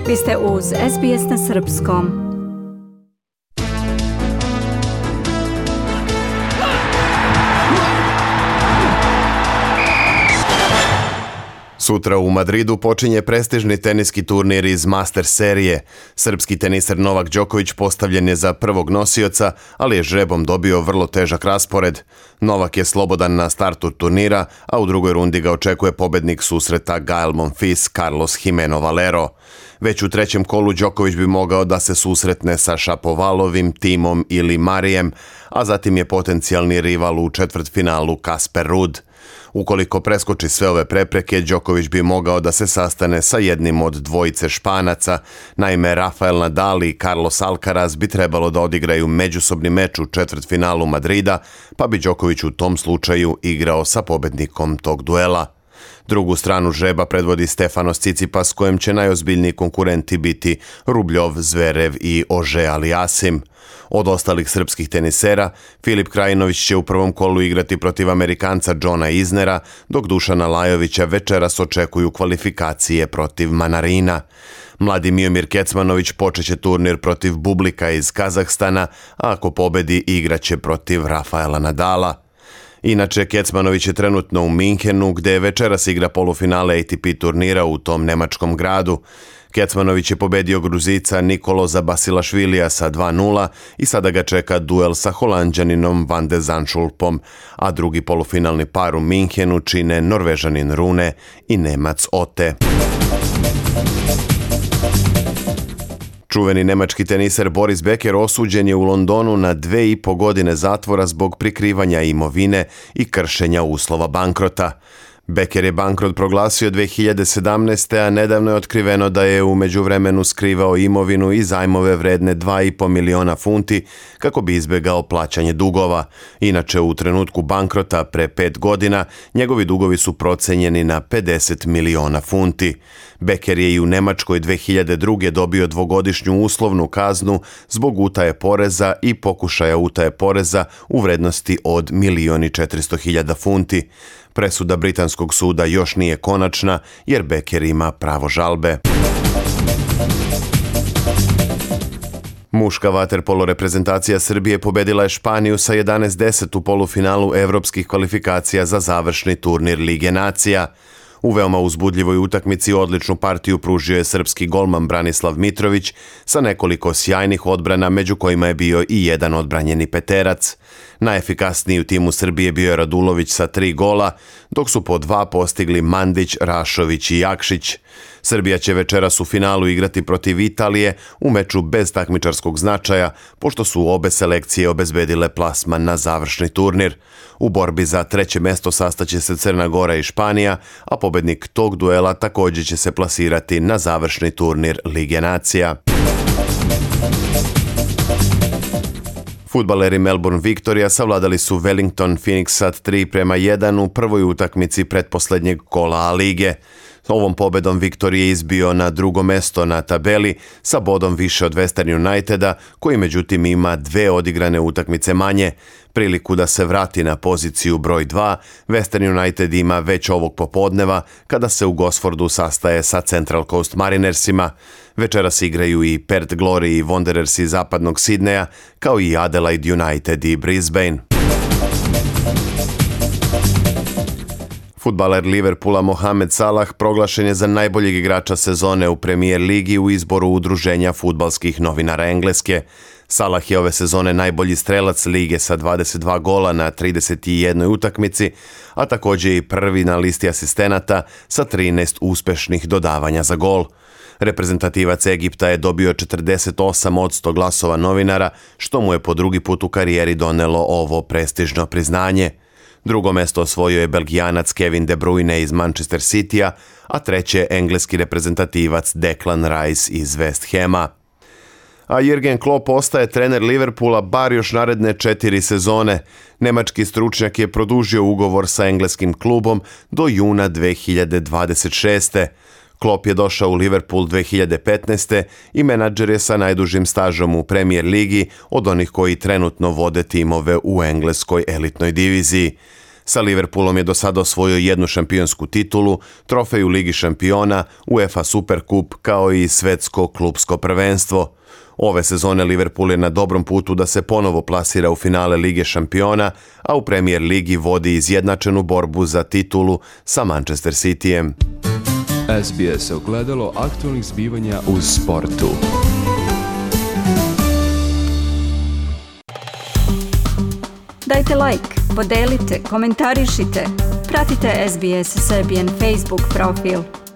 Vi ste uz SBS na Srpskom. Sutra u Madridu počinje prestižni teniski turnir iz Masters serije. Srpski teniser Novak Đoković postavljen je za prvog nosioca, ali je žrebom dobio vrlo težak raspored. Novak je slobodan na startu turnira, a u drugoj rundi ga očekuje pobednik susreta Gael Monfils Carlos Jimeno Valero. Već u trećem kolu Đoković bi mogao da se susretne sa Šapovalovim, Timom ili Marijem, a zatim je potencijalni rival u četvrtfinalu Casper Ruud. Ukoliko preskoči sve ove prepreke, Đoković bi mogao da se sastane sa jednim od dvojice Španaca. Naime, Rafael Nadal i Carlos Alcaraz bi trebalo da odigraju međusobni meč u četvrtfinalu Madrida, pa bi Đoković u tom slučaju igrao sa pobednikom tog duela. Drugu stranu žreba predvodi Stefanos Tsitsipas, kojem će najozbiljniji konkurenti biti Rubljov, Zverev i Ože Aliasim. Od ostalih srpskih tenisera, Filip Krajinović će u prvom kolu igrati protiv Amerikanca Johna Isnera, dok Dušana Lajovića večeras očekuju kvalifikacije protiv Manarina. Mladi Miomir Kecmanović počeće turnir protiv Bublika iz Kazahstana, a ako pobedi igraće protiv Rafaela Nadala. Inače, Kecmanović je trenutno u Minhenu, gde večeras igra polufinale ATP turnira u tom nemačkom gradu. Kecmanović je pobedio Gruzica Nikoloza Basilašvilija sa 2:0 i sada ga čeka duel sa Holanđaninom Van de Zandschulpom, a drugi polufinalni par u Minhenu čine Norvežanin Rune i Nemac Ote. Čuveni nemački teniser Boris Becker osuđen je u Londonu na 2,5 godine zatvora zbog prikrivanja imovine i kršenja uslova bankrota. Becker je bankrot proglasio 2017. a nedavno je otkriveno da je u međuvremenu skrivao imovinu i zajmove vredne 2,5 miliona funti kako bi izbjegao plaćanje dugova. Inače, u trenutku bankrota pre 5 godina njegovi dugovi su procenjeni na 50 miliona funti. Becker je i u Nemačkoj 2002. dobio 2-godišnju uslovnu kaznu zbog utaje poreza i pokušaja utaje poreza u vrednosti od 1.400.000 funti. Presuda britanskog suda još nije konačna jer Becker ima pravo žalbe. Muška vaterpolo reprezentacija Srbije pobedila je Španiju sa 11:10 u polufinalu evropskih kvalifikacija za završni turnir Lige nacija. U veoma uzbudljivoj utakmici odličnu partiju pružio je srpski golman Branislav Mitrović sa nekoliko sjajnih odbrana, među kojima je bio i jedan odbranjeni peterac. Najefikasniji u timu Srbije bio je Radulović sa 3 gola, dok su po 2 postigli Mandić, Rašović i Jakšić. Srbija će večeras u finalu igrati protiv Italije u meču bez takmičarskog značaja, pošto su obe selekcije obezbedile plasman na završni turnir. U borbi za treće mesto sastaće se Crna Gora i Španija, a pobednik tog duela također će se plasirati na završni turnir Lige nacija. Fudbaleri Melbourne Victoria savladali su Wellington Phoenix 3:1 u prvoj utakmici pretposlednjeg kola A lige. Ovom pobedom Victoria je izbio na drugo mesto na tabeli sa bodom više od Western Uniteda, koji međutim ima 2 odigrane utakmice manje. Priliku da se vrati na poziciju broj 2, Western United ima već ovog popodneva kada se u Gosfordu sastaje sa Central Coast Marinersima. Večeras igraju i Perth Glory i Wanderers iz zapadnog Sidneja, kao i Adelaide United i Brisbane. Fudbaler Liverpoola Mohamed Salah proglašen je za najboljeg igrača sezone u Premier ligi u izboru Udruženja fudbalskih novinara Engleske. Salah je ove sezone najbolji strelac lige sa 22 gola na 31 utakmici, a također i prvi na listi asistenata sa 13 uspešnih dodavanja za gol. Reprezentativac Egipta je dobio 48% glasova novinara, što mu je po drugi put u karijeri donelo ovo prestižno priznanje. Drugo mesto osvojio je Belgijanac Kevin De Bruyne iz Manchester Citya, a treće engleski reprezentativac Declan Rice iz West Hama. A Jürgen Klopp ostaje trener Liverpoola bar još naredne 4 sezone. Nemački stručnjak je produžio ugovor sa engleskim klubom do juna 2026. Klopp je došao u Liverpool 2015. i menadžer je sa najdužim stažom u Premier ligi od onih koji trenutno vode timove u engleskoj elitnoj diviziji. Sa Liverpoolom je do sada osvojio jednu šampionsku titulu, trofej u Ligi šampiona, UEFA Superkup kao i svetsko klupsko prvenstvo. Ove sezone Liverpool je na dobrom putu da se ponovo plasira u finale Lige šampiona, a u Premier Ligi vodi izjednačenu borbu za titulu sa Manchester Cityjem. SBS ogledalo aktualnih zbivanja u sportu. Dajte like, podelite, komentarišite. Pratite SBS Serbian Facebook profil.